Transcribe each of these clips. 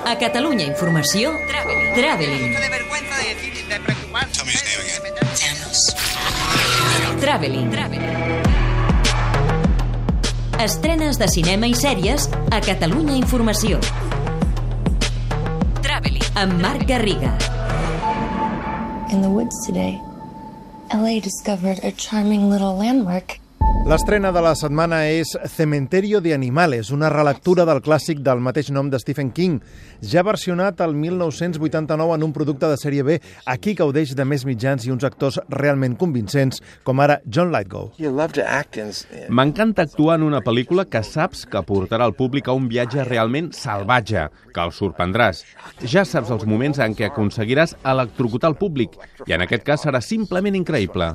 A Catalunya Informació, Traveling. Traveling. Estrenes de cinema i sèries a Catalunya Informació. Traveling. Amb Marc Garriga. In the woods today, LA discovered a charming little landmark. L'estrena de la setmana és Cementerio de Animales, una relectura del clàssic del mateix nom de Stephen King. Ja versionat el 1989 en un producte de sèrie B, aquí gaudeix de més mitjans i uns actors realment convincents, com ara John Lithgow. M'encanta actuar en una pel·lícula que saps que portarà el públic a un viatge realment salvatge, que el sorprendràs. Ja saps els moments en què aconseguiràs electrocutar el públic, i en aquest cas serà simplement increïble.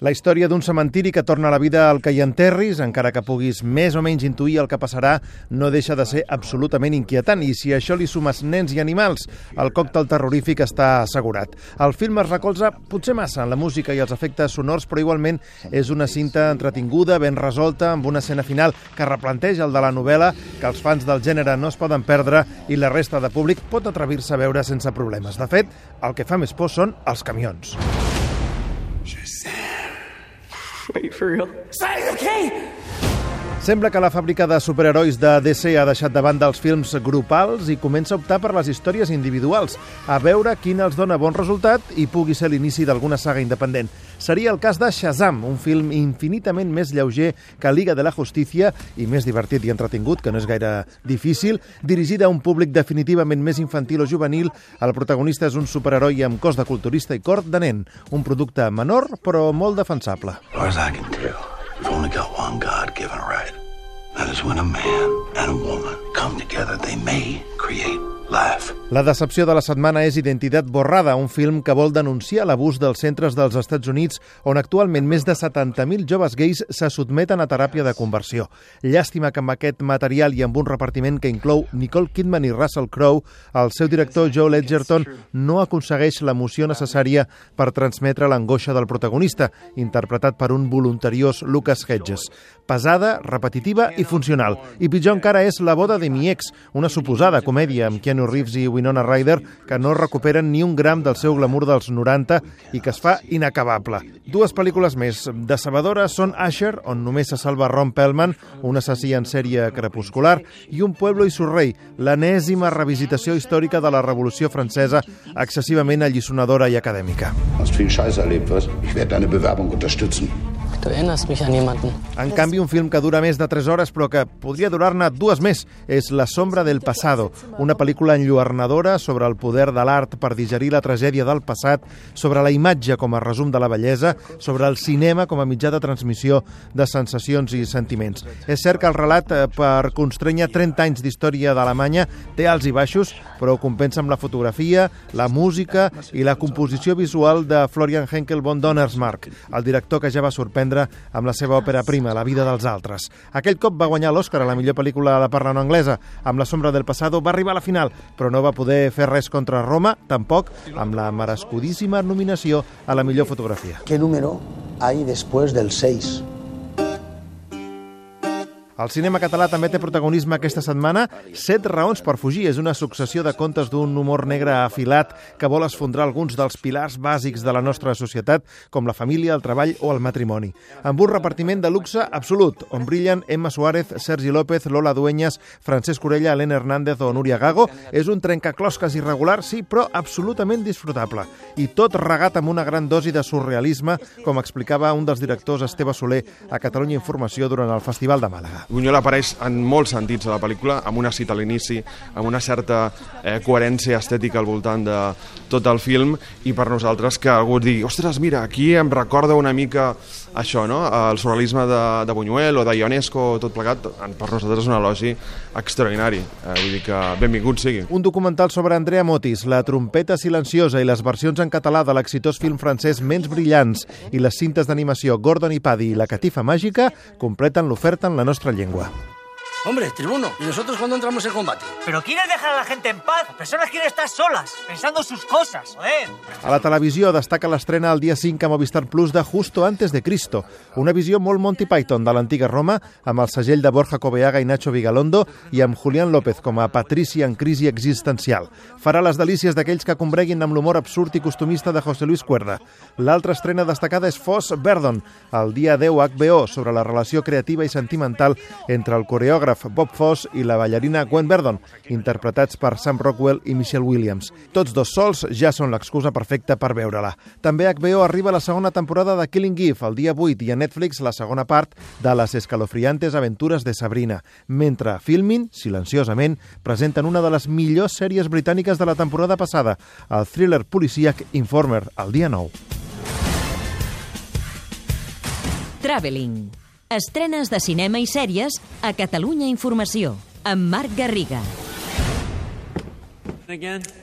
La història d'un cementiri que torna a la vida al que hi enterris, encara que puguis més o menys intuir el que passarà, no deixa de ser absolutament inquietant. I si a això li sumes nens i animals, el còctel terrorífic està assegurat. El film es recolza potser massa en la música i els efectes sonors, però igualment és una cinta entretinguda, ben resolta, amb una escena final que replanteja el de la novel·la, que els fans del gènere no es poden perdre i la resta de públic pot atrevir-se a veure sense problemes. De fet, el que fa més por són els camions. Wait, for real? Say, okay! Sembla que la fàbrica de superherois de DC ha deixat de banda els films grupals i comença a optar per les històries individuals, a veure quin els dona bon resultat i pugui ser l'inici d'alguna saga independent. Seria el cas de Shazam, un film infinitament més lleuger que Liga de la Justícia i més divertit i entretingut, que no és gaire difícil. Dirigida a un públic definitivament més infantil o juvenil, el protagonista és un superheroi amb cos de culturista i cor de nen, un producte menor però molt defensable. We've only got one God-given right. That is when a man and a woman come together, they may create life. La decepció de la setmana és Identitat borrada, un film que vol denunciar l'abús dels centres dels Estats Units, on actualment més de 70.000 joves gais se sotmeten a teràpia de conversió. Llàstima que amb aquest material i amb un repartiment que inclou Nicole Kidman i Russell Crowe, el seu director Joel Edgerton no aconsegueix l'emoció necessària per transmetre l'angoixa del protagonista, interpretat per un voluntariós Lucas Hedges. Pesada, repetitiva i funcional. I pitjor encara és La boda de mi ex, una suposada comèdia amb Keanu Reeves i Winona Ryder que no recuperen ni un gram del seu glamour dels 90 i que es fa inacabable. Dues pel·lícules més decebedores són Usher, on només se salva Ron Perlman, un assassí en sèrie crepuscular, i Un pueblo y su rey, l'enèsima revisitació històrica de la Revolució Francesa, excessivament alliçonadora i acadèmica. Hast viel Scheiß erlebt, was? Ich werde deine Bewerbung unterstützen. Du erinnerst mich an jemanden. En canvi, un film que dura més de 3 hores, però que podria durar-ne 2 més, és La sombra del pasado, una pel·lícula enlluernadora sobre el poder de l'art per digerir la tragèdia del passat, sobre la imatge com a resum de la bellesa, sobre el cinema com a mitjà de transmissió de sensacions i sentiments. És cert que el relat, per constrènyer 30 anys d'història d'Alemanya, té alts i baixos, però ho compensa amb la fotografia, la música i la composició visual de Florian Henkel von Donnersmarck, el director que ja va sorprendre amb la seva òpera prima, La vida dels altres. Aquell cop va guanyar l'Oscar a la millor pel·lícula de parla no anglesa. Amb La sombra del pasado va arribar a la final, però no va poder fer res contra Roma, tampoc amb la merescudíssima nominació a la millor fotografia. ¿Qué número hay después del 6? El cinema català també té protagonisme aquesta setmana. 7 raons per fugir és una successió de contes d'un humor negre afilat que vol esfondrar alguns dels pilars bàsics de la nostra societat, com la família, el treball o el matrimoni. Amb un repartiment de luxe absolut, on brillen Emma Suárez, Sergi López, Lola Dueñas, Francesc Orella, Elena Hernández o Núria Gago. És un trencaclosques irregular, sí, però absolutament disfrutable. I tot regat amb una gran dosi de surrealisme, com explicava un dels directors, Esteve Soler, a Catalunya Informació durant el Festival de Màlaga. Buñuel apareix en molts sentits a la pel·lícula, amb una cita a l'inici, amb una certa coherència estètica al voltant de tot el film, i per nosaltres que algú digui, ostres, mira, aquí em recorda una mica això, no? El surrealisme de Buñuel o de Ionesco, tot plegat, per nosaltres és un elogi extraordinari. Vull dir que benvingut sigui. Un documental sobre Andrea Motis, La trompeta silenciosa i les versions en català de l'exitós film francès Ments brillants i les cintes d'animació Gordon i Paddy i La catifa màgica completen l'oferta en la nostra llengua. Hombre, tribuno, ¿y nosotros cuándo entramos en combate? ¿Pero quieres dejar a la gente en paz? Las personas quieren estar solas, pensando sus cosas, joder. A la televisió destaca l'estrena el dia 5 a Movistar Plus de Justo antes de Cristo, una visió molt Monty Python de l'antiga Roma, amb el segell de Borja Coveaga i Nacho Vigalondo i amb Julián López com a Patrici en crisi existencial. Farà les delícies d'aquells que combreguin amb l'humor absurd i costumista de José Luis Cuerda. L'altra estrena destacada és Foss Verdon, el dia 10 a HBO, sobre la relació creativa i sentimental entre el coreògraf Bob Foss i la ballarina Gwen Verdon, interpretats per Sam Rockwell i Michelle Williams. Tots dos sols ja són l'excusa perfecta per veure-la. També a HBO arriba la segona temporada de Killing Eve, el dia 8, i a Netflix la segona part de les escalofriantes aventures de Sabrina, mentre Filmin, silenciosament, presenten una de les millors sèries britàniques de la temporada passada, el thriller policíac Informer, el dia 9. Traveling. Estrenes de cinema i sèries a Catalunya Informació, amb Marc Garriga. Again.